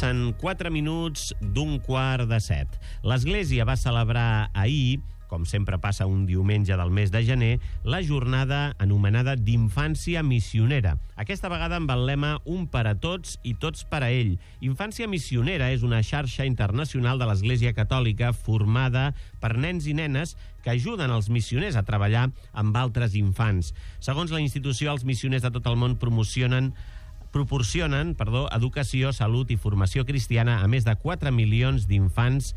Passen 4 minuts d'15:45. L'Església va celebrar ahir, com sempre passa un diumenge del mes de gener, la jornada anomenada d'Infància Missionera. Aquesta vegada amb el lema Un per a tots i tots per a ell. Infància Missionera és una xarxa internacional de l'Església Catòlica formada per nens i nenes que ajuden els missioners a treballar amb altres infants. Segons la institució, els missioners de tot el món proporcionen educació, salut i formació cristiana a més de 4 milions d'infants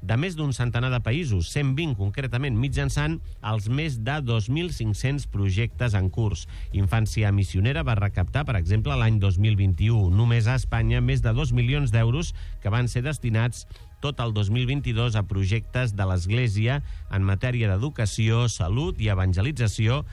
de més d'un centenar de països, 120 concretament, mitjançant els més de 2.500 projectes en curs. Infància Missionera va recaptar, per exemple, l'any 2021, només a Espanya, més de 2 milions d'euros que van ser destinats tot el 2022 a projectes de l'Església en matèria d'educació, salut i evangelització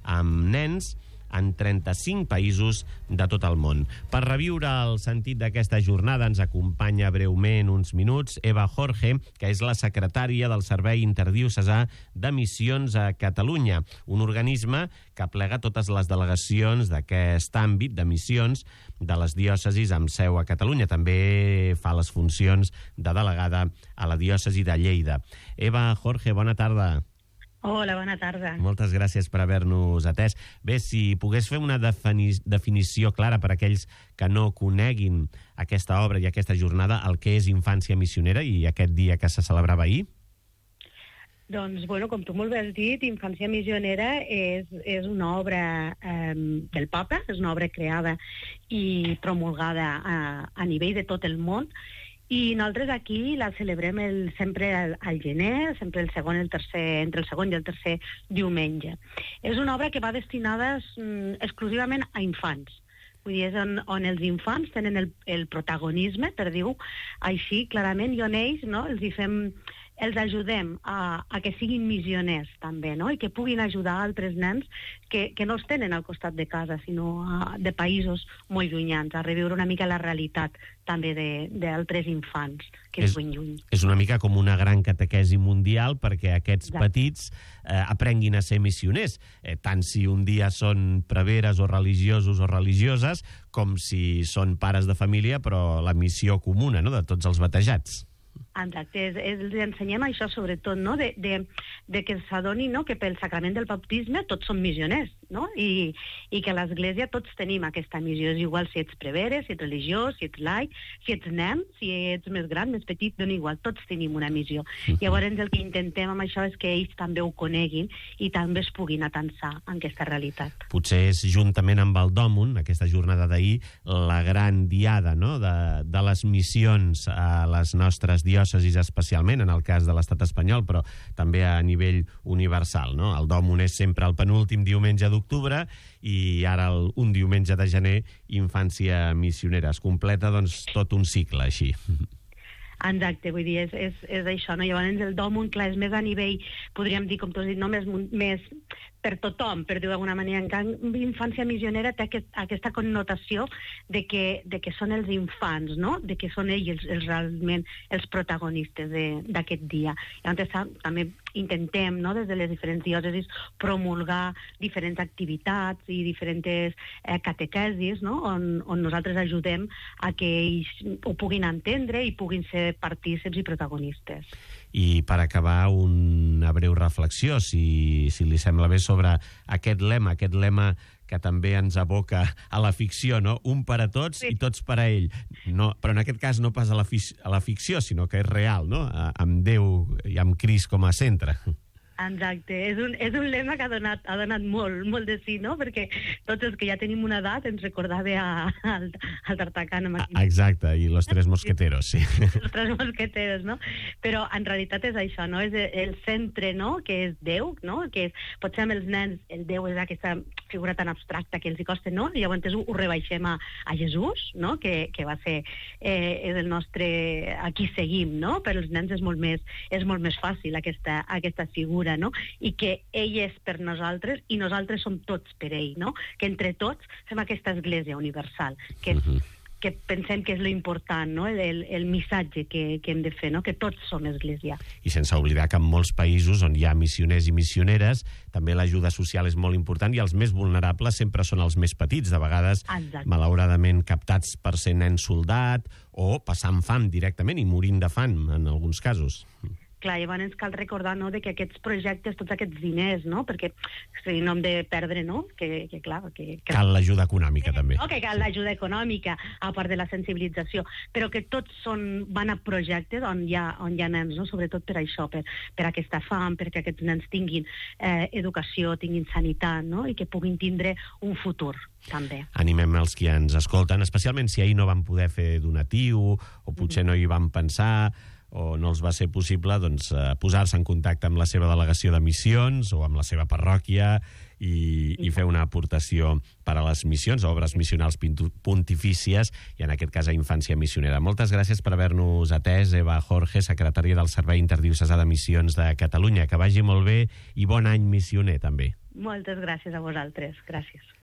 amb nens en 35 països de tot el món. Per reviure el sentit d'aquesta jornada ens acompanya breument uns minuts Eva Jorge, que és la secretària del Servei Interdiocesà de Missions a Catalunya, un organisme que aplega totes les delegacions d'aquest àmbit de missions de les diòcesis amb seu a Catalunya. També fa les funcions de delegada a la diòcesi de Lleida. Eva Jorge, bona tarda. Hola, bona tarda. Moltes gràcies per haver-nos atès. Bé, si pogués fer una definició clara per a aquells que no coneguin aquesta obra i aquesta jornada, el que és Infància Missionera i aquest dia que se celebrava ahir? Doncs, bueno, com tu molt bé has dit, Infància Missionera és una obra del Papa, és una obra creada i promulgada a nivell de tot el món, i nosaltres aquí la celebrem sempre al gener, sempre entre el segon i el tercer diumenge. És una obra que va destinada exclusivament a infants. Vull dir, és on els infants tenen el protagonisme, per dir-ho així, clarament, i on ells, no, els ajudem a que siguin missioners també, no? I que puguin ajudar altres nens que no els tenen al costat de casa, sinó de països molt llunyans, a reviure una mica la realitat també d'altres infants que és ben lluny. És una mica com una gran catequesi mundial perquè aquests petits aprenguin a ser missioners, tant si un dia són preveres o religiosos o religioses, com si són pares de família, però la missió comuna, no?, de tots els batejats. Exacte, els ensenyem això sobretot, no? de que s'adoni, no?, que pel sacrament del baptisme tots som missioners, no? I que a l'Església tots tenim aquesta missió. És igual si ets prevere, si ets religiós, si ets laic, si ets nen, si ets més gran, més petit, dona igual, tots tenim una missió. Llavors el que intentem amb això és que ells també ho coneguin i també es puguin atensar en aquesta realitat. Potser és juntament amb el Dòmun, aquesta jornada d'ahir, la gran diada, no?, de les missions a les nostres diòcesis, especialment en el cas de l'estat espanyol, però també a nivell universal, no? El Dòmun és sempre el penúltim diumenge d'octubre i ara un diumenge de gener, Infància Missionera. Es completa, doncs, tot un cicle així. Exacte, vull dir, és això, no? Llavors el Dòmun, clar, és més a nivell, podríem dir, com tu has dit, no? més per tothom, per dir-ho d'alguna manera. En canvi, Infància Missionera té aquesta connotació de que són els infants, no?, de que són ells realment els protagonistes d'aquest dia. Llavors també intentem, no?, des de les diferents diòcesis promulgar diferents activitats i diferents catequesis, no?, on nosaltres ajudem a que ells ho puguin entendre i puguin ser partícips i protagonistes. I per acabar, una breu reflexió, si li sembla bé, sobre aquest lema que també ens aboca a la ficció, no? Un per a tots i tots per a ell. No, però en aquest cas no pas a la ficció, sinó que és real, no?, amb Déu i amb Crist com a centre. Exacte, és un lema que ha donat molt de sí, no? Perquè tots els que ja tenim una edat ens recordava al D'Artagnan. Exacte, i los tres mosqueteros, sí. Los tres mosqueteros, no? Però en realitat és això, no? És el centre, no?, que és Déu, no? Que potser amb els nens el Déu és aquesta figura tan abstracta que els hi costa, no? I llavors ho rebaixem a Jesús, no?, que va ser és el nostre, a qui seguim, no? Per als nens és molt més fàcil aquesta figura, no? I que ell és per nosaltres i nosaltres som tots per ell, no? Que entre tots fem aquesta església universal, que que pensem que és lo important, no? El missatge que hem de fer, no? Que tots som església. I sense oblidar que en molts països on hi ha missioners i missioneres també l'ajuda social és molt important i els més vulnerables sempre són els més petits, de vegades malauradament captats per ser nens soldat o passant fam directament i morint de fam en alguns casos. Clar, llavors ens cal recordar, no?, de que aquests projectes, tots aquests diners, no?, perquè si no hem de perdre, no?, que clar... Cal l'ajuda econòmica, també. No, que cal l'ajuda econòmica, a part de la sensibilització, però que tots van a projectes on hi ha nens, no?, sobretot per això, per aquesta fam, perquè aquests nens tinguin educació, tinguin sanitat, no?, i que puguin tindre un futur, també. Animem els que ens escolten, especialment si ahir no van poder fer donatiu, o potser no hi van pensar, o no els va ser possible, doncs, posar-se en contacte amb la seva delegació de missions o amb la seva parròquia i fer una aportació per a les missions, obres missionals pontifícies, i en aquest cas a Infància Missionera. Moltes gràcies per haver-nos atès, Eva Jorge, secretària del Servei Interdiocesà de Missions de Catalunya. Que vagi molt bé i bon any missioner, també. Moltes gràcies a vosaltres. Gràcies.